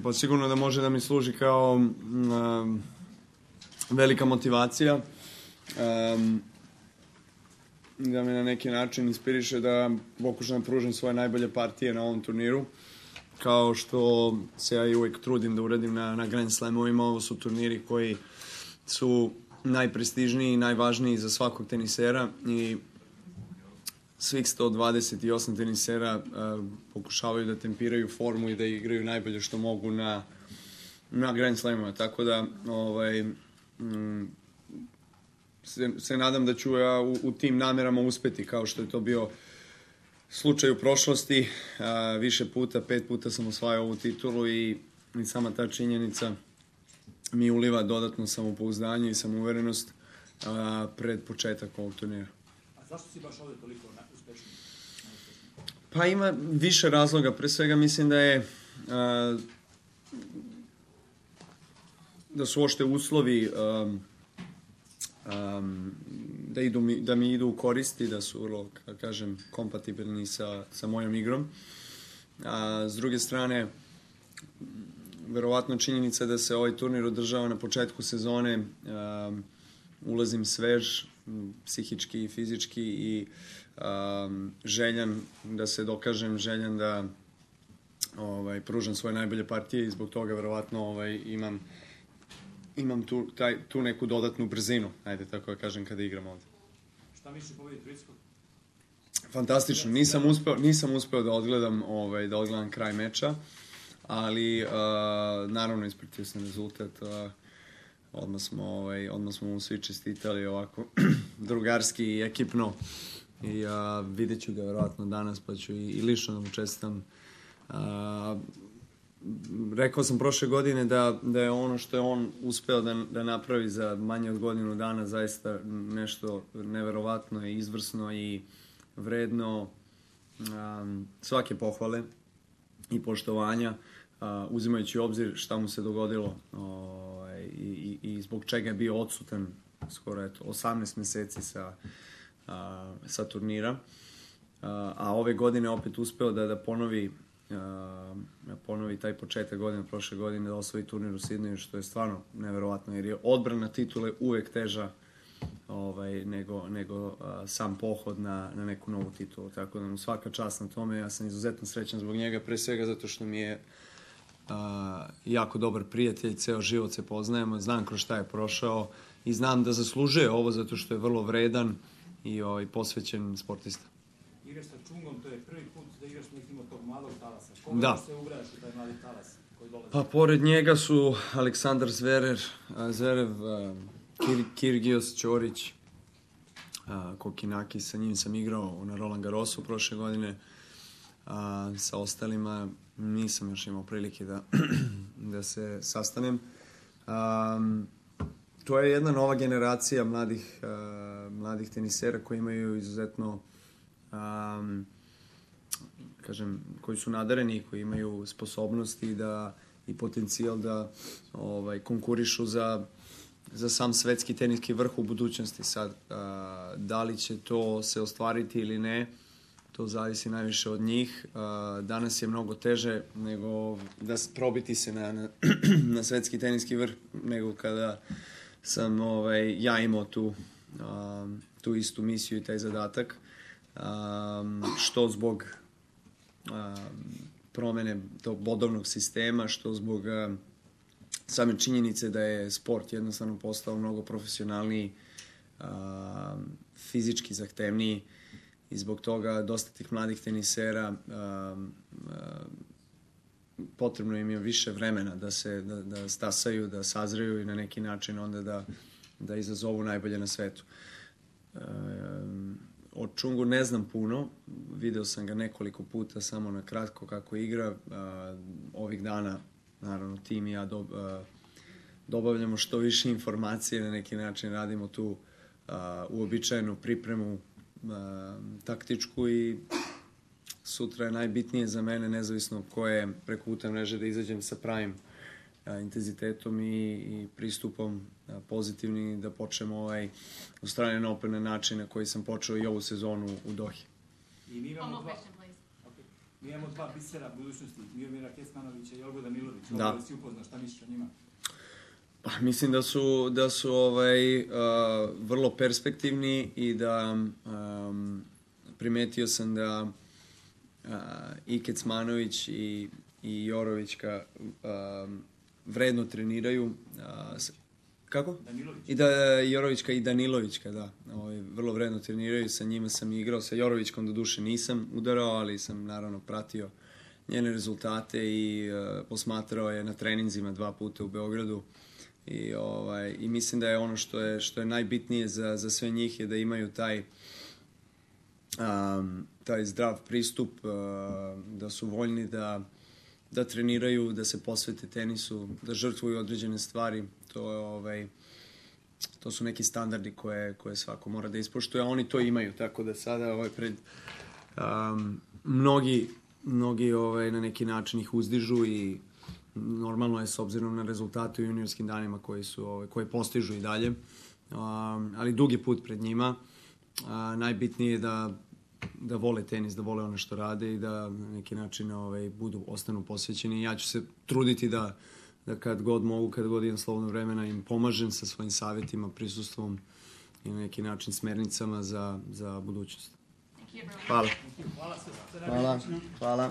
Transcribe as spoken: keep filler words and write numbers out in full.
Pa sigurno da može da mi služi kao um, velika motivacija, um, da me na neki način inspiriše da pokušam da pružim svoje najbolje partije na ovom turniru, kao što se ja i uvijek trudim da uradim na, na Grand Slamovima. Ovo su turniri koji su najprestižniji i najvažniji za svakog tenisera i svih sto dvadeset osam tenisera uh, pokušavaju da tempiraju formu i da igraju najbolje što mogu na, na Grand Slamima. Tako da ovaj, mm, se, se nadam da ću ja u, u tim namerama uspeti, kao što je to bio slučaj u prošlosti. Uh, više puta, pet puta sam osvajao ovu titulu i, i sama ta činjenica mi uliva dodatno samopouzdanje i samouverenost uh, pred početak ovog turnira. A zašto si baš ovdje toliko uspešan? Pa ima više razloga. Pre svega mislim da je uh, da su ošte uslovi um, um, da, idu mi, da mi idu u koristi, da su vrlo, kako kažem, kompatibilni sa, sa mojom igrom. A s druge strane, verovatno činjenica da se ovaj turnir održava na početku sezone, um, ulazim svež, psihički i fizički i um, željan da se dokažem, željan da ovaj, pružam svoje najbolje partije i zbog toga verovatno ovaj, imam, imam tu, taj, tu neku dodatnu brzinu, ajde tako da kažem, kada igram ovdje. Šta misliš o pobedi Turskog? Fantastično, nisam uspeo, nisam uspeo da odgledam, ovaj, da odgledam kraj meča, ali uh, naravno ispratio sam rezultat. Uh, odmah smo, ovaj, odmah smo mu svi čestitali ovako drugarski i ekipno i uh, vidjet ću ga verovatno danas, pa ću i, i lično da mu čestitam. Uh, rekao sam prošle godine da, da je ono što je on uspeo da, da napravi za manje od godinu dana zaista nešto neverovatno i izvrsno i vredno um, svake pohvale i poštovanja, uh, uzimajući u obzir šta mu se dogodilo uh, i, i, i zbog čega je bio odsutan skoro eto, osamnaest meseci sa, uh, sa turnira. Uh, a ove godine opet uspeo da, da ponovi, uh, ponovi taj početak godine, prošle godine, da osvoji turnir u Sidneju, što je stvarno neverovatno, jer je odbrana titule uvek teža ovaj, nego, nego uh, sam pohod na, na neku novu titulu. Tako da mu svaka čast na tome. Ja sam izuzetno srećan zbog njega, pre svega zato što mi je uh, jako dobar prijatelj, ceo život se poznajemo, znam kroz šta je prošao i znam da zaslužuje ovo zato što je vrlo vredan i ovaj, posvećen sportista. Igraš sa Čungom, to je prvi put da igraš mislim od tog mladog talasa. Koga da se ugraš u taj mladi talas koji dolazi? Pa pored njega su Aleksandar Zverev, Zverev Kir, Kirgios, Ćorić, a, Kokinaki, sa njim sam igrao na Roland Garrosu prošle godine, a, sa ostalima nisam još imao prilike da, da se sastanem. A, to je jedna nova generacija mladih, a, mladih tenisera koji imaju izuzetno, a, kažem, koji su nadareni, koji imaju sposobnosti da, i potencijal da ovaj, konkurišu za za sam svetski teniski vrh u budućnosti. Sad, a, da li će to se ostvariti ili ne, to zavisi najviše od njih. A, danas je mnogo teže nego da probiti se na, na, na svetski teniski vrh nego kada sam ovaj, ja imao tu, a, tu istu misiju i taj zadatak. A, što zbog a, promene tog bodovnog sistema, što zbog a, same činjenice da je sport jednostavno postao mnogo profesionalniji, a, fizički zahtevniji i zbog toga dosta tih mladih tenisera a, a, potrebno im je više vremena da se da, da stasaju, da sazreju i na neki način onda da, da izazovu najbolje na svetu. A, o Čungu ne znam puno, video sam ga nekoliko puta samo na kratko kako igra. A, ovih dana naravno, tim i ja do, uh, dobavljamo što više informacije, na neki način radimo tu uh, uobičajenu pripremu uh, taktičku i sutra je najbitnije za mene, nezavisno koje preko puta mreže, da izađem sa pravim uh, intenzitetom i, i pristupom uh, pozitivni, da počnemo ovaj Australian Open na način na koji sam počeo i ovu sezonu u Dohi. I mi imamo dva... Mi imamo dva bisera budućnosti, Miomira Kecmanovića i Olgu Danilovića. Da. Da si upoznaš, šta misliš o njima? Pa, mislim da su, da su ovaj, uh, vrlo perspektivni i da um, primetio sam da uh, i Kecmanović i, i Jorovićka um, vredno treniraju. Uh, s- kako? Danilović. I da Jorovićka i Danilovićka, da. Ovaj, vrlo vredno treniraju, sa njima sam igrao. Sa Jorovićkom do duše nisam udarao, ali sam naravno pratio njene rezultate i uh, posmatrao je na treninzima dva puta u Beogradu. I, ovaj, i mislim da je ono što je, što je najbitnije za, za sve njih je da imaju taj, um, taj zdrav pristup, uh, da su voljni da, da treniraju, da se posvete tenisu, da žrtvuju određene stvari. To, je, ovaj, to su neki standardi koje, koje svako mora da ispoštuje, a oni to imaju, tako da sada ovaj, pred um, mnogi, mnogi ovaj, na neki način ih uzdižu i normalno je s obzirom na rezultate u juniorskim danima koji su ovaj, koje postižu i dalje, um, ali dug je put pred njima. Uh, najbitnije je da da vole tenis, da vole ono što rade i da na neki način ovaj, budu, ostanu posvećeni. Ja ću se truditi da, da kad god mogu, kad god imam slobodno vremena im pomažem sa svojim savjetima, prisustvom i na neki način smernicama za, za budućnost. Hvala. Hvala sve. Hvala. Hvala.